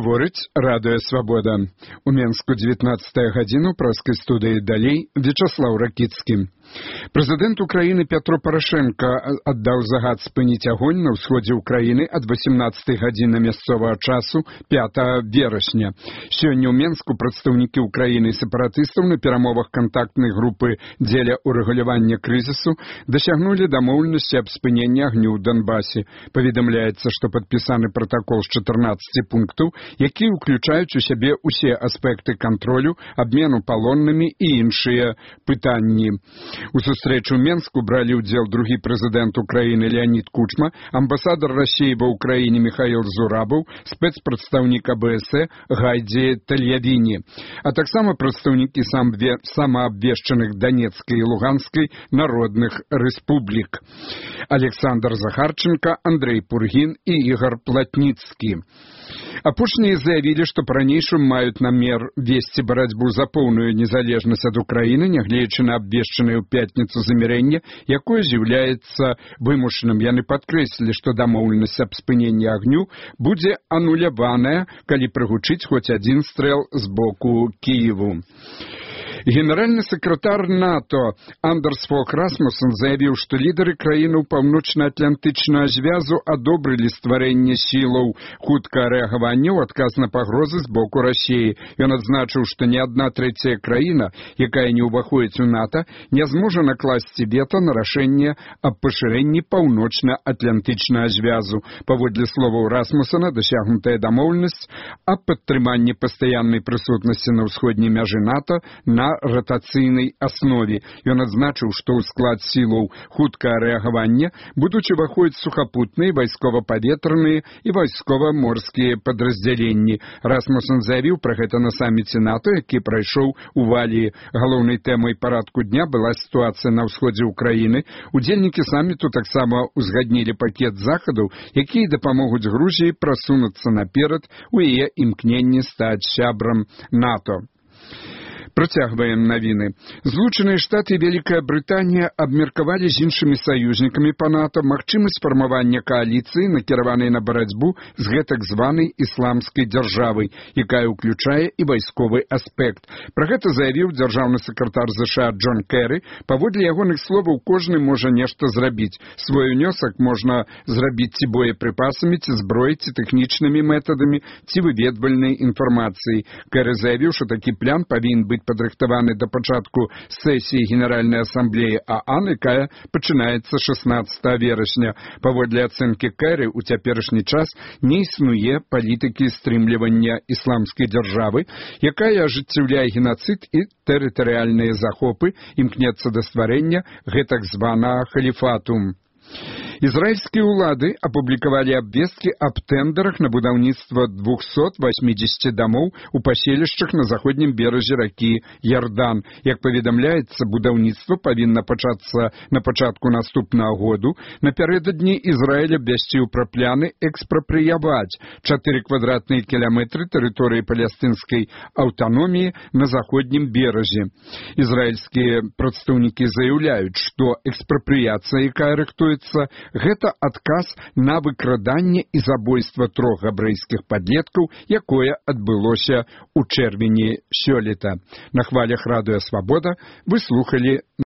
Гаворыць Радыё Свабода. У Менску 19 гадзіну праскай студыі далей Вячаслаў Ракіцкі. Прэзідэнт Украіны Пятро Парашенко аддаў загад спыніць агонь на ўсходзе Украіны ад 18 гадзіны мясцовага часу 5 верасня. Сёння ў Менску прадстаўнікі Украіны і сепаратыстаў на перамовах кантактнай групы дзеля ўрэгулявання крызісу дасягнулі дамоўленасці аб спыненні агню ў Донбасе. Паведамляецца, што падпісаны пратакол з 14 пунктаў, якія ўключаюць у сябе ўсе аспекты кантролю, абмену палоннымі і іншыя пытанні. У сустрэчу ў Менску бралі ўдзел другі прэзідэнт Украіны Леонид Кучма, амбасадар Расіі ва ўкраіне Михаил Зурабаў, спецпрадстаўнік АБС Гайдзі Тальявіні, а таксама прадстаўнікі самаабвешчаных Донецкай і Луганскай народных рэспублік. Александр Захарченко, Андрей Пургін і Ігор Платніцкі. Апошнія заявілі, што па-ранейшым маюць намер весці барацьбу за поўную незалежнасць ад Украіны, нягледзячы на абвешчанае ў пятніцу замірэнне, якое з'яўляецца вымушаным. Яны падкрэслілі, што дамоўленасць аб спыненні агню будзе ануляваная, калі прагучыць хоць адзін стрэл з боку Кіеву. Генеральны сакратар НАТО Андерс Фог Расмуссен заявіў, што лідары краінаў паўночна-атлантычнага звязу адобрылі стварэнне сілаў хуткага рэагавання ў адказ на пагрозы з боку Расіі. Ён адзначыў, што ні адна трэцяя краіна, якая не ўваходзіць у НАТО, не зможа накласці вета на рашэнне аб пашырэнні паўночна-атлантычнага звязу. Паводле словаў Расмуссена, дасягнутая дамоўленасць аб падтрыманні пастаяннай прысутнасці на ўсходняй мяжы НАТО на ратацыйнай аснове. Ён адзначыў, што ў склад сілаў хуткага рэагавання будуць уваходзіць сухапутныя, вайскова-паветраныя і вайскова-морскія падраздзяленні. Расмуссен заявіў пра гэта на саміце НАТО, які прайшоў у Валіі. Галоўнай тэмай парадку дня была сітуацыя на ўсходзе Украіны. Удзельнікі саміту таксама узгаднілі пакет захадаў, якія дапамогуць Грузіі прасунуцца наперад у яе імкненні стаць сябрам НАТО. Працягваем навіны. Злучаныя Штаты і Вялікая Брытанія абмеркавалі з іншымі саюзнікамі па НАТО магчымасць фармавання кааліцыі, накіраванай на барацьбу з гэтак званай ісламскай дзяржавай, якая ўключае і вайсковы аспект. Пра гэта заявіў дзяржаўны сакратар ЗША Джон Кэры. Паводле ягоных словаў, кожны можа нешта зрабіць. Свой унёсак можна зрабіць ці боепрыпасамі, ці зброяй, ці тэхнічнымі метадамі, ці выведвальнай інфармацыяй. Кэры заявіў, што такі план павінен быць падрыхтаваны да пачатку сесіі Генеральнай асамблеі ААН, якая пачынаецца 16 верасня. Паводле ацэнкі Кэры, у цяперашні час не існуе палітыкі стрымлівання ісламскай дзяржавы, якая ажыццяўляе генацыд і тэрытарыяльныя захопы, імкнецца да стварэння гэтак званага халіфату. Ізраільскія ўлады апублікавалі абвесткі аб тэндарах на будаўніцтва 280 дамоў у паселішчах на заходнім беразе ракі Ярдан. Як паведамляецца, будаўніцтва павінна пачацца на пачатку наступнага году. Напярэдадні Ізраіль абвясціў пра пляны экспрапрыяваць 4 квадратныя кіламетры тэрыторыі палестынскай аўтаноміі на заходнім беразе. Ізраільскія прадстаўнікі заяўляюць, што экспрапрыяцыя, якая рыхтуецца, гэта адказ на выкраданне і забойства 3 габрэйскіх падлеткаў, якое адбылося ў чэрвені сёлета. На хвалях Радыё Свабода вы слухалі